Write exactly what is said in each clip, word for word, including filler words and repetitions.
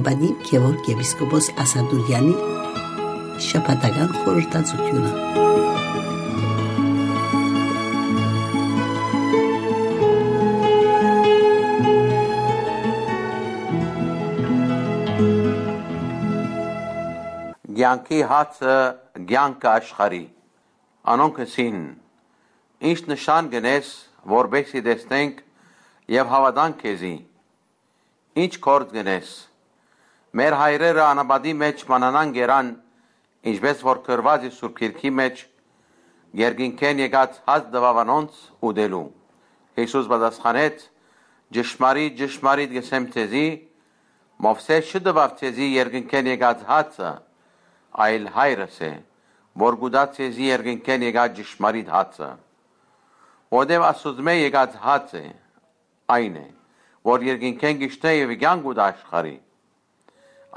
Ատիվ Գեորգ եպիսկոպոս Ասատուրեանի շաբաթական խորհրդածութիւնը։ Կեանքի հացը, կեանքը աշխարհի։ Անոնք ըսին. «Ի՞նչ նշան կ'ընես, որպէս զի տեսնենք եւ հաւատանք քեզի։ Ի՞նչ գործ կ'ընես։ Մեր հայրերը անապատի մէջ մնանան կերան, ինչպէս որ գրուած է Սուրբ Գիրքի մէջ. "Երկինքէն եկած հաց տուաւ անոնց ուտելու"»։ Յիսուս պատասխանեց. "Ճշմարիտ, ճշմարիտ կ'ըսեմ ձեզի, Մովսէս չտուաւ ձեզի երկինքէն եկած հացը, այլ հայրս է, որ կուտայ ձեզի երկինքէն եկած ճշմարիտ հացը։ Որտեւ Աստուծմէ եկած հաց է, այն է, որ երկինքէն կ'իջնէ եւ կեանք կուտայ աշխարհի"։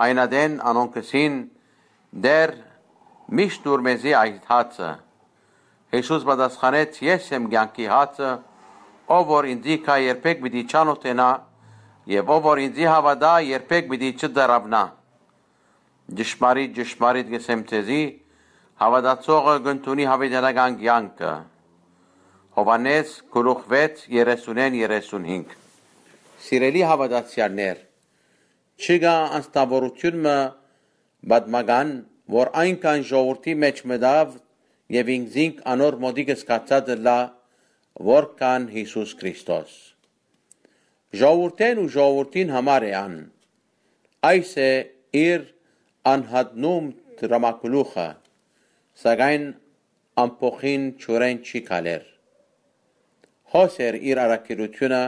Այն ատեն անոնք ըսին. "Տէր, միշտ տուր մեզի այդ հացը"։ Յիսուս պատասխանեց. "Ես եմ կեանքի հացը, ով որ ինծի գայ, երբեք պիտի չանօթենայ, եւ ով որ ինծի հաւատայ, երբեք պիտի չծարաւնայ։ Ճշմարիտ, ճշմարիտ կ'ըսեմ ձեզի, հաւատացողը կ'ընդունի յաւիտենական կեանքը"։ Յովհաննէս գլուխ վեց, երեսունէն երեսունհինգ։ Սիրելի հաւատացեալներ, չկայ անձնաւորութիւն մը պատմական, որ այնքան ժողովուրդի մէջ մտաւ եւ ինքզինք անոր մօտիկ զգացած ըլլայ, որքան Յիսուս Քրիստոս։ Ժողովուրդէն ու ժողովուրդին համար է ան։ Այս է իր անհատնում դրամագլուխը, սակայն ամբոխին ջուրէն չի քալեր։ Հոս էր իր առաքելութիւնը,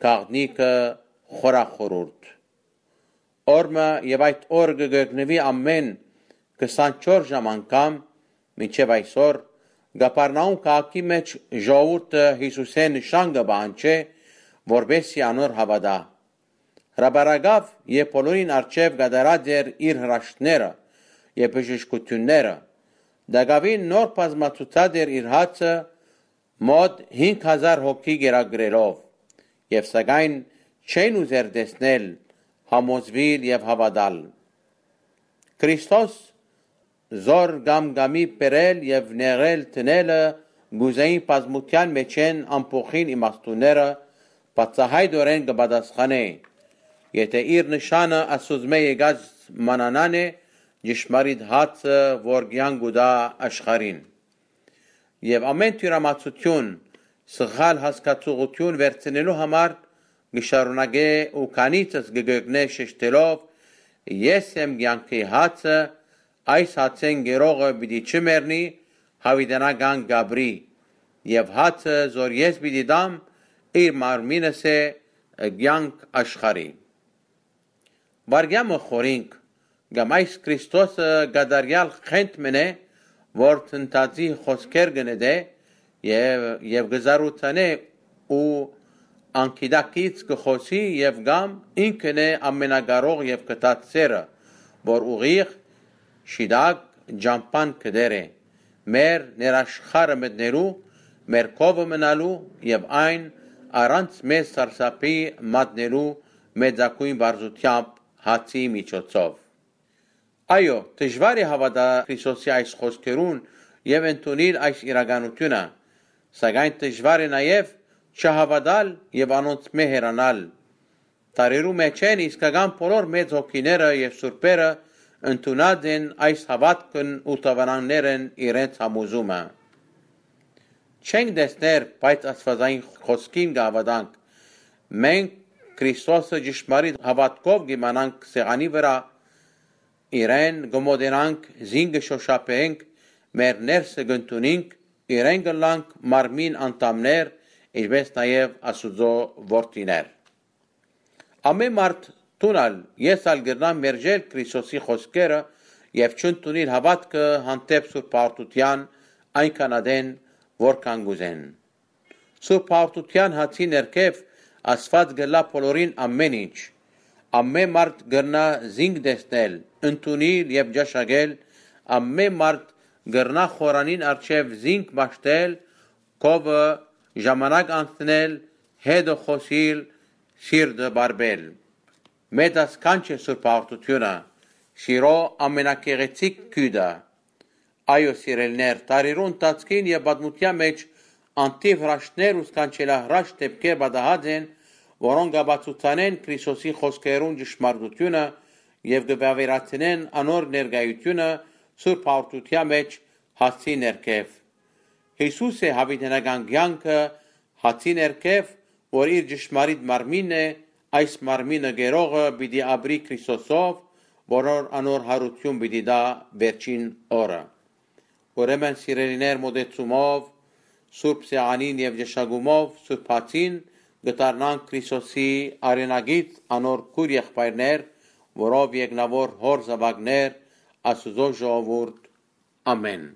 գաղտնիքը խորախորուրդ։ Օր մը եւ այդ օր կը գերգնուի ամէն քսանչորս ժամ անգամ, մինչեւ այսօր Կափառնաում քաղաքի մէջ ժողովուրդը Յիսուսէն նշան կը պահանջէ, որպէս զի անոր հաւատայ։ Հրապարակաւ եւ բոլորին առջեւ կատարած էր իր հրաշքները եւ բժշկութիւնները։ Տակաւին նոր բազմացուցած էր իր հացը մօտ հինգ հազար հոգի կերակրելով, եւ սակայն չեն ուզեր տեսնել, համոզուիլ եւ հաւատալ։ Քրիստոս զոր կամ կամի բերել եւ նեղրել դնելը կ'ուզէին բազմութեան մէջէն ամբոխին իմաստունները բացայայտօրէն կը պատասխանէ, եթէ իր նշանը Աստուծմէ եկած մանանան է, ճշմարիտ հացը, որ կեանք կու տայ աշխարհին։ Եւ ամէն թիւրամացութիւն, սխալ հասկացողութիւն վերցնելու համար կը շարունակէ ու քանիցս կը գերգնէ շեշտելով. "Ես եմ կեանքի հացը, այս հացէն կերողը պիտի չմեռնի, յաւիտենական կ'ապրի, եւ հացը, զոր ես պիտի տամ, իր մարմինս է, կեանք աշխարհի"։ Վարկեան մը խորհինք, կամ այս Քրիստոսը կատարեալ խենթ մըն է, որ թնդածի խօսքեր կը նետէ եւ, եւ կը զարութանէ ու անգիտակից կը խօսի, եւ կամ ինքն է ամենակարող եւ գթած սերը, որ ուղիղ, շիտակ ճամբան կը դեր է, մեր ներաշխարը մտնելու, մեր քովը մնալու եւ այն առանց մեզ սարսափի մատնելու մեծագոյն վարզութեամբ հացի միջոցով։ Այո, դժուար է հաւատալ Քրիստոսի այս խօսքերուն եւ ընդունիլ այս իրականութիւնը, սակայն դժուար է նաեւ չհաւատալ եւ անոնցմէ հեռանալ։ Դարերու մէջէն իսկական բոլոր մեծ հոգիները եւ սուրբերը ընդունած են այս հաւատքն ու տաւանաններ են իրենց համոզումը։ Չենք տեսներ, բայց աստվածային խօսքին կը հաւատանք։ Մենք Քրիստոսը ճշմարիտ հաւատքով կ'իմանանք սեղանի վրայ, իրեն կը մոտենանք, զինք կը շօշափենք, մեր ներսը կ'ընդունինք, իրեն կ'ըլլանք մարմին անդամներ, ինչպես նաեւ Աստուծոյ որդիներ։ Ամէն մարդ, դուն ալ, ես ալ կրնամ մերժել Քրիստոսի խօսքերը եւ չընդունիլ հաւատքը հանդէպ Սուրբ Պարտութեան այնքան ատեն, որքան կ'ուզեն։ Սուրբ Պարտութեան հացի ներքեւ Աստուած կ'ըլլայ բոլորին ամէն ինչ։ Ամէն մարդ կրնայ զինք տեսնել, ընդունիլ եւ ճաշակել, ամէն մարդ կրնայ խորանին առջեւ զինք մաշտել, քովը, ժամանակ անցնել, հետը խօսիլ, սիրտը բարբել։ Մեծասքանչ է Սուրբ Հաղորդութիւնը, սիրո ամենագեղեցիկ գիւտը։ Այո, սիրելիներ, տարիներու ընթացքին եւ պատմութեան մէջ անթիւ հրաշքներ ու սքանչելահրաշք դէպքեր պատահած են, որոնք կ'ապացուցանեն Քրիստոսի խօսքերուն ճշմարտութիւնը եւ կը վաւերացնեն անոր ներկայութիւնը Սուրբ Հաղորդութեան մէջ հացի ներքեւ։ Յիսուս է յաւիտենական կեանքը հացի ներքեւ, որ իր ճշմարիտ մարմինն է, այս մարմինը կերողը պիտի ապրի Քրիստոսով, որ անոր յարութիւն պիտի տայ վերջին օրը։ Ուրեմն, սիրելիներ, մօտեցումով, Սուրբ Սեղանին եւ ճշմարտութեան Սուրբ Հացին կը դառնանք Քրիստոսի արենակից անոր քուր եղբայրներ, որով եկնաւոր հօր զաւակներ, Աստուծոյ ժողովուրդ։ Ամէն։